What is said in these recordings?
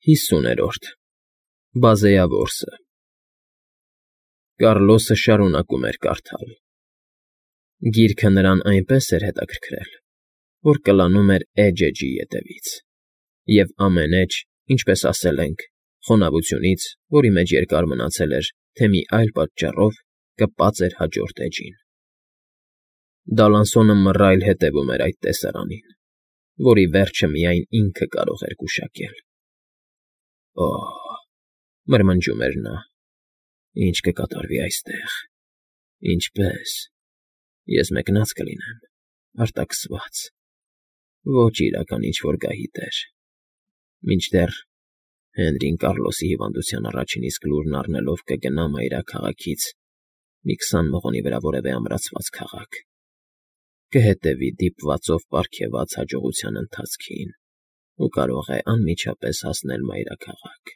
50-րդ Բազեավորսը Կառլոսը շարունակում էր կարդալ։ Գիրքը նրան այնպես էր հետաքրքրել, որ կլանում էր էջ-էջի ետևից, և ամեն էջ, ինչպես ասել ենք, խոնավությունից, որի մեջ երկար մնացել էր, թե մի այլ պատճառով կպած էր հաջորդ էջին։ Դալանսոնը մռայլ հետևում էր այդ տեսարանին, որի վերջը միայն ինքը կարող էր գուշակել։ Օհ, մրմնջում էր նա, ինչ կկատարվի այստեղ, ինչպե՞ս, ես մեկնած կլինեմ, արտաքսված, ոչ իրական ինչ֊որ գահի տեր, մինչդեռ Հենրին Կառլոսի հիվանդության առաջին իսկ լուրն առնելով կգնա մայրաքաղաքից մի 20 մղոնի վրա որևէ ամրացված քաղաք, կհետևի դիպվածով պարգևած հաջողության ընթացքին ու կարող է անմիջապես հասնել մայրաքաղաք,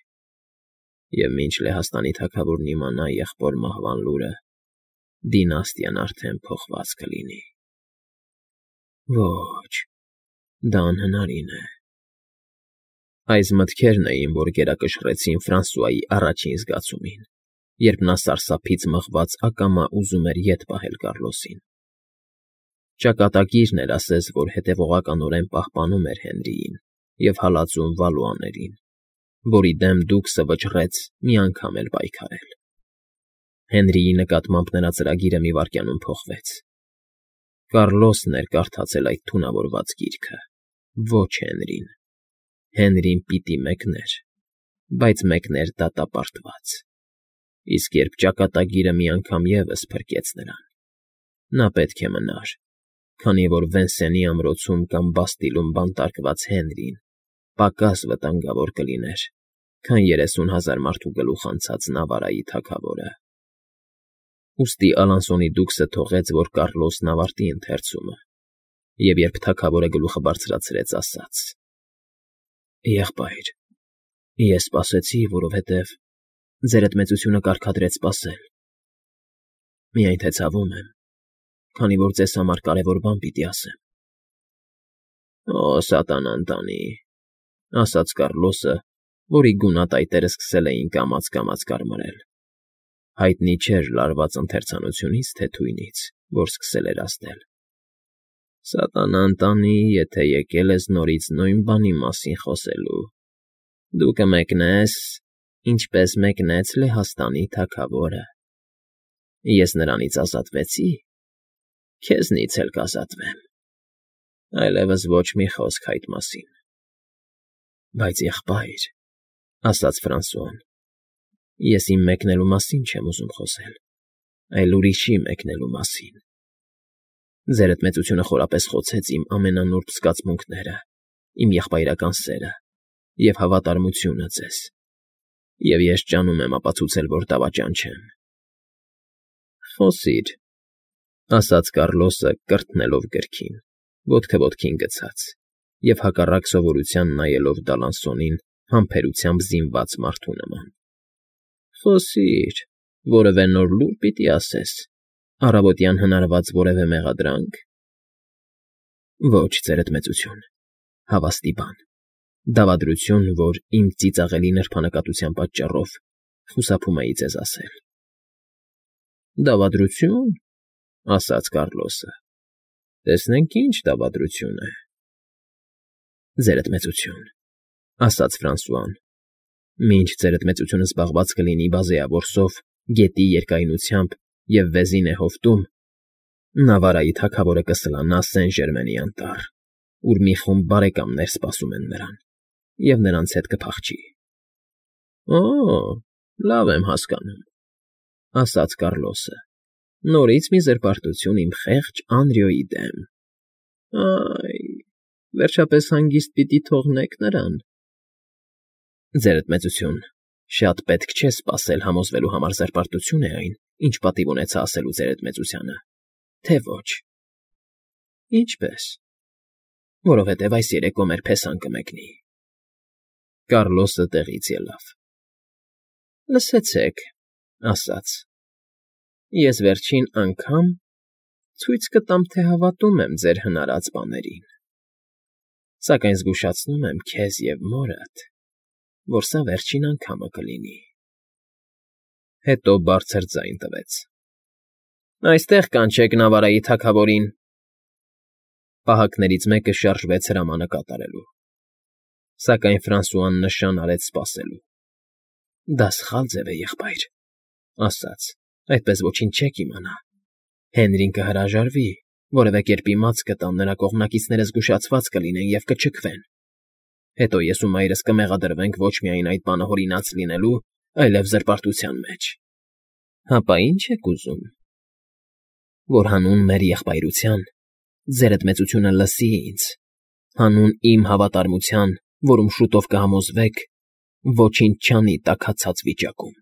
և մինչ Լեհաստանի թագավորն իմանա եղբոր մահվան լուրը, դինաստիան արդեն փոխված կլինի։ Ոչ, դա անհնարին է։ Այս մտքերն էին, որ գերակշռեցին Ֆրանսուայի առաջին զգացումին, երբ նա սարսափից մղված ակամա ուզում էր ետ պահել Կառլոսին։ Ճակատագիրն էր ասես, որ հետևողականորեն պահպանում էր Հենրիին և հալածում Վալուաներին, որի դեմ դուքսը վճռեց մի անգամ էլ պայքարել։ Հենրիի նկատմամբ նրա ծրագիրը մի վայրկյանում փոխվեց։ Կառլոսն էր կարդացել այդ թունավորված գիրքը, ոչ Հենրին։ Հենրին պիտի մեկներ, բայց մեկներ դատապարտված։ Իսկ երբ ճակատագիրը մի անգամ ևս փրկեց նրան, նա պետք է մնար, քանի որ Վենսենի ամրոցում կամ Բաստիլում բանտարկված Հենրին պակաս վտանգավոր կլիներ, քան 30,000 մարդու գլուխ անցած Նավարայի թագավորը։ Ուստի Ալանսոնի դուքսը թողեց, որ Կառլոսն ավարտի ընթերցումը, և երբ թագավորը գլուխը բարձրացրեց, ասաց. «Եղբայր, ես սպասեցի, որովհետև ձերդ մեծությունը կարգադրեց սպասել։ Միայն թե ցավում եմ, քանի որ ձեզ համար կարևոր բան պիտի ասեմ»։ Օ, սատանան տանի, ասաց Կառլոսը, որի գունատայտերը սկսել էին կամաց֊կամաց կարմրել։ Հայտնի չէր լարված ընթերցանությունից, թե թույնից, որ սկսել էր ազդել։ Սատանան տանի, եթե եկել ես նորից նույն բանի մասին խոսելու։ Դու կմեկնես, ինչպես մեկնեց Լեհաստանի թագավորը։ Ես նրանից ազատվեցի, քեզնից էլ կազատվեմ։ Այլևս ոչ մի խոսք այդ մասին։ Բայց եղբայր, ասաց Ֆրանսուան, ես իմ մեկնելու մասին չեմ ուզում խոսել, այլ ուրիշի մեկնելու մասին։ Ձերդ մեծությունը խորապես խոցեց իմ ամենանուրբ զգացմունքները, իմ եղբայրական սերը և հավատարմությունը ձեզ, և ես ջանում եմ ապացուցել, որ դավաճան չեմ։ Խոսիր, ասաց Կառլոսը, կրթնելով գրքին, ոտքը ոտքին գցած, և հակառակ սովորության նայելով Դալանսոնին համբերությամբ զինված մարդու նման։ Խոսիր, որևէ նոր լուր պիտի ասես, առավոտյան հնարված որևէ մեղադրանք։ Ոչ, ձերդ մեծություն, հավաստի բան, դավադրություն, որ իմ ծիծաղելի նրբանկատության պատճառով խուսափում էի ձեզ ասել։ Դավադրություն, ասաց Կառլոսը, տեսնենք ինչ դավադրություն է։ Ձերդ մեծություն, ասաց Ֆրանսուան, մինչ ձերդ մեծությունը զբաղված կլինի Բազեավորսով, գետի երկայնությամբ և Վեզինե հովտում, Նավարայի թագավորը կսլանա Սեն֊Ժերմենի անտառ, ուր մի խումբ բարեկամներ սպասում են նրան, և նրանց հետ կփախչի։ Օ, լավ եմ հասկանում, ասաց Կառլոսը, նորից մի զրպարտություն իմ խեղճ Անրիոյի դեմ։ Այ, վերջապես հանգիստ պիտի թողնեք նրան։ Ձերդ մեծություն, շատ պետք չէ սպասել համոզվելու համար զրպարտություն է այն, ինչ պատիվ ունեցա ասելու ձերդ մեծությանը, թե ոչ։ Ինչպե՞ս։ Որովհետև այս երեկո մեր փեսան կմեկնի։ Կառլոսը տեղից ելավ։ Լսեցեք, ասաց. Ես վերջին անգամ ցույց կտամ, թե հավատում եմ ձեր հնարած բաներին, սակայն զգուշացնում եմ քեզ և մորդ, որ սա վերջին անգամը կլինի։ Հետո բարձր ձայն տվեց. Այստեղ կանչեք Նավարայի թագավորին։ Պահակներից մեկը շարժվեց հրամանը կատարելու։ Սակայն Ֆրանսուան նշան արեց սպասելու։ Դա սխալ ձև է, եղբայր, ասաց, այդպես ոչինչ չեք իմանա։ Հենրին կհրաժարվի, որևէ կերպ իմաց կտան, նրա կողմնակիցները զգուշացված կլինեն և կչքվեն։ Հետո ես ու մայրս կմեղադրվենք ոչ միայն այդ բանը հորինած լինելու, այլև զրպարտության մեջ։ Հապա ի՞նչ եք ուզում։ Որ հանուն մեր եղբայրության ձերդ մեծությունը լսի ինձ, հանուն իմ հավատարմության, որում շուտով կհամոզվեք, ոչինչ չանի տաքացած վիճակում։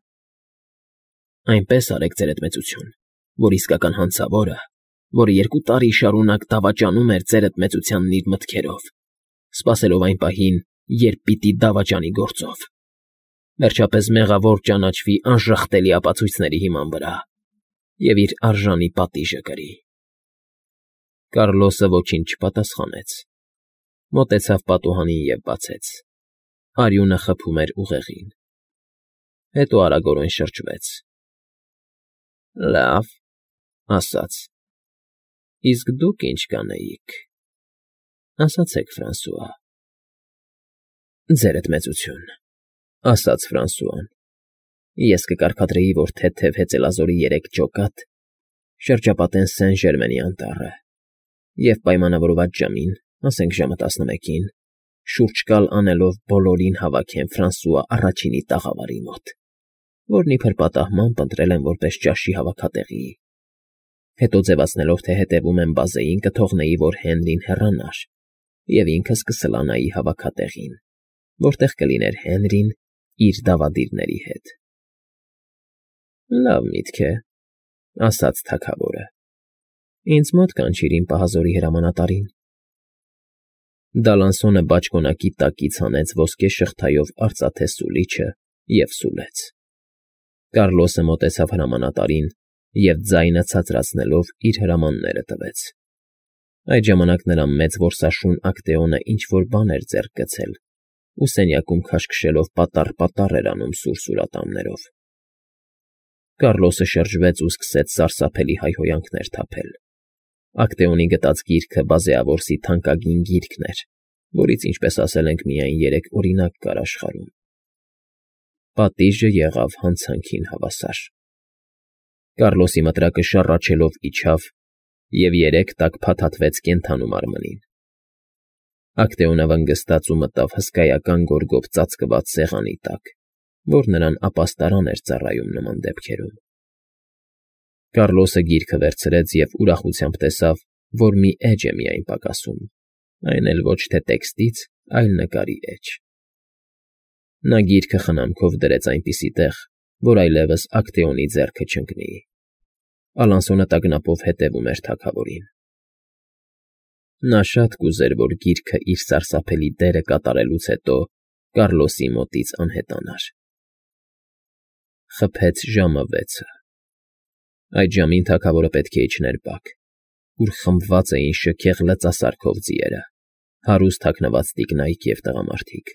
Այնպես արեք, ձերդ մեծություն, որ իսկական հանցավորը, որը 2 տարի շարունակ դավաճանում էր ձերդ մեծությանն իր մտքերով, սպասելով այն պահին, երբ պիտի դավաճանի գործով, վերջապես մեղավոր ճանաչվի անժխտելի ապացույցների հիման վրա և իր արժանի պատիժը կրի։ Կառլոսը ոչինչ չպատասխանեց, մոտեցավ պատուհանին և բացեց։ Արյունը խփում էր ուղեղին։ Հետո արագորեն շրջվեց։ Լավ, ասաց, իսկ դուք ինչ կանեիք, ասացեք, Ֆրանսուଆ։ Ձերդ մեծություն, ասաց Ֆրանսուան, ես կկարգադրեի, որ թեթև հեծելազորի 3 ջոկատ շրջապատեն Սեն Ժերմենի անտառը և պայմանավորված ժամին, ասենք ժամը 11-ին, շուրջ կալ անելով բոլորին հավաքեն Ֆրանսուଆ առաջինի տաղավարի մոտ, որն իբր պատահմամբ ընտրել են որպես ճաշի հավաքատեղի։ Հետո ձևացնելով, թե հետևում եմ բազեին, կթողնեի, որ Հենրին հեռանար, և ինքս կսլանայի հավաքատեղին, որտեղ կլիներ Հենրին իր դավադիրների հետ։ Լավ միտք է, ասաց թագավորը։ Ինձ մոտ կանչիր իմ պահազորի հրամանատարին։ Դալանսոնը բաճկոնակի տակից հանեց ոսկե շղթայով արծաթե սուլիչը և սուլեց։ Կառլոսը մոտեցավ հրամանատարին և ձայնը ցածրացնելով իր հրամանները տվեց։ Այդ ժամանակ նրա մեծ որսաշուն Ակտեոնը ինչ֊որ բան էր ձեռք գցել ու սենյակում քաշքշելով պատառ էր անում սուր ատամներով։ Կառլոսը շրջվեց ու սկսեց սարսափելի հայհոյանքներ թափել։ Ակտեոնի գտած գիրքը բազեավորսի թանկագին գիրքն էր, որից, ինչպես ասել ենք, միայն 3 օրինակ կար աշխարհում։ Պատիժը եղավ հանցանքին հավասար։ Կառլոսի մտրակը շառաչելով իջավ և 3 տակ փաթաթվեց կենդանու մարմնին։ Ակտեոնը վնգստաց ու մտավ հսկայական գորգով ծածկված սեղանի տակ, որ նրան ապաստարան էր ծառայում նման դեպքերում։ Կառլոսը գիրքը վերցրեց և ուրախությամբ տեսավ, որ մի էջ է միայն պակասում, այն էլ ոչ թե տեքստից, այլ նկարի էջ։ Նա գիրքը խնամքով դրեց այնպիսի տեղ, որ այլևս Ակտեոնի ձեռքը չընկնի։ Ալանսոնը տագնապով հետևում էր թագավորին։ Նա շատ կուզեր, որ գիրքը իր սարսափելի դերը կատարելուց հետո Կառլոսի մոտից անհետանար։ Խփեց ժամը 6-ը։ Այդ ժամին թագավորը պետք է իջներ բակ, ուր խմբված էին շքեղ լծասարքով ձիերը, հարուստ թաքնված տիկնայք և տղամարդիկ։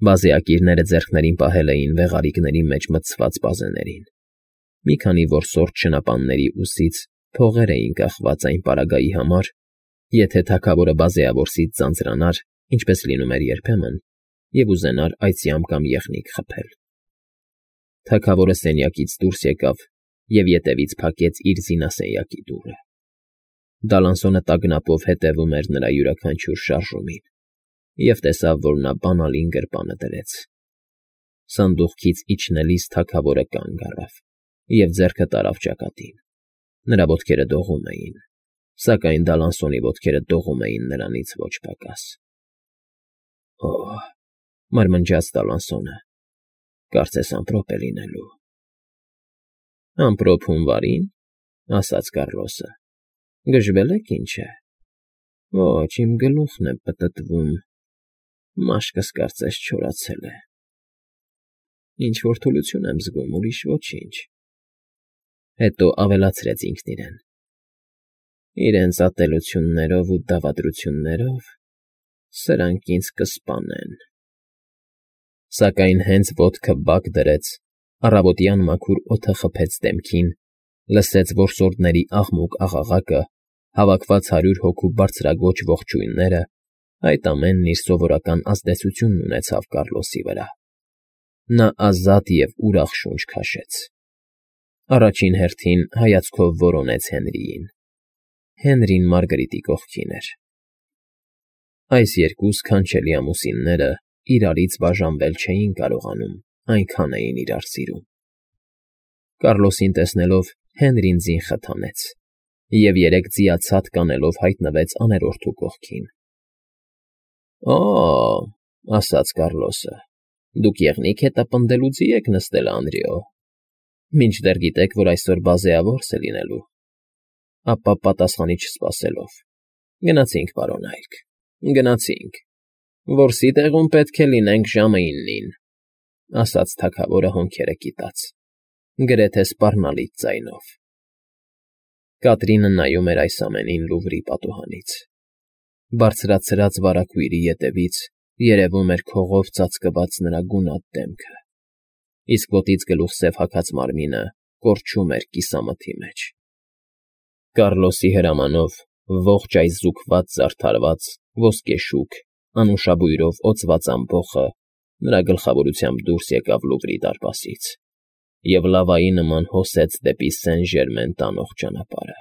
Բազեակիրները ձեռքներին պահել էին վեղարիկների մեջ մտցված բազեներին։ Մի քանի որսորդ շնապանների ուսից փողեր էին կախված այն պարագայի համար, եթե թագավորը բազեավորսից ձանձրանար, ինչպես լինում էր երբեմն, և ուզենար այծյամ կամ եղնիկ խփել։ Թագավորը սենյակից դուրս եկավ և ետևից փակեց իր զինասենյակի դուռը։ Դալանսոնը տագնապով հետևում էր նրա յուրաքանչյուր շարժումին և տեսավ, որ նա բանալին գրպանը դրեց։ Սանդուղքից իջնելիս թագավորը կանգ առավ և ձեռքը տարավ ճակատին։ Նրա ոտքերը դողում էին, սակայն Դալանսոնի ոտքերը դողում էին նրանից ոչ պակաս։ Օհ, մարմնջաց Դալանսոնը, կարծես ամպրոպ է լինելու։ Ամպրոպ հունվարի՞ն, ասաց Կառլոսը։ Գժվել եք, ինչ է։ Ոչ, իմ գլուխն է պտտվում, մաշկս կարծես չորացել է։ Ինչ֊որ թուլություն եմ զգում, ուրիշ ոչինչ։ Հետո ավելացրեց ինքն իրեն. Իրենց ատելություններով ու դավադրություններով սրանք ինձ կսպանեն։ Սակայն հենց ոտքը բակ դրեց, առավոտյան մաքուր օդը խփեց դեմքին, լսեց որսորդների աղմուկ-աղաղակը, հավաքված 100 հոգու բարձրաձոչ ողջույնները, այդ ամենն իր սովորական ազդեցությունն ունեցավ Կառլոսի վրա։ Նա ազատ և ուրախ շունչ քաշեց։ Առաջին հերթին հայացքով որոնեց Հենրիին։ Հենրին Մարգարիտի կողքին էր։ Այս երկու սքանչելի ամուսինները իրարից բաժանվել չէին կարողանում, այնքան էին իրար սիրում։ Կառլոսին տեսնելով Հենրին ձին խթանեց և երեք ձիացած կանելով հայտնվեց աներորդու կողքին։ «Օ՜,» ասաց Կառլոսը, «դուք եղնիկ հետապնդելու ձի եք նստել, Անդրեո, մինչդեռ գիտեք, որ այսօր բազեավորս է լինելու»։ Ապա պատասխանի չսպասելով. «Գնացինք, պարոն Այրք, գնացինք, որսի տեղում պետք է լինենք ժամը 9-ին», ասաց թագավորը հոնքերը կիտած, գրեթե սպառնալից ձայնով։ Կատրինը նայում էր այս ամենին Լուվրի պատուհանից։ Բարձրացրած վարագույրի ետևից երևում էր քողով ծածկված նրա գունատ դեմքը, իսկ ոտից գլուխսև հագած մարմինը կորչում էր կիսամթի մեջ։ Կառլոսի հրամանով ողջ այս զուգված զարդարված ոսկեշուք, անուշաբույրով օծված ամբոխը նրա գլխավորությամբ դուրս եկավ Լուվրի դարպասից և լավայի նման հոսեց դեպի Սեն Ժերմեն տանող ճանապարհը։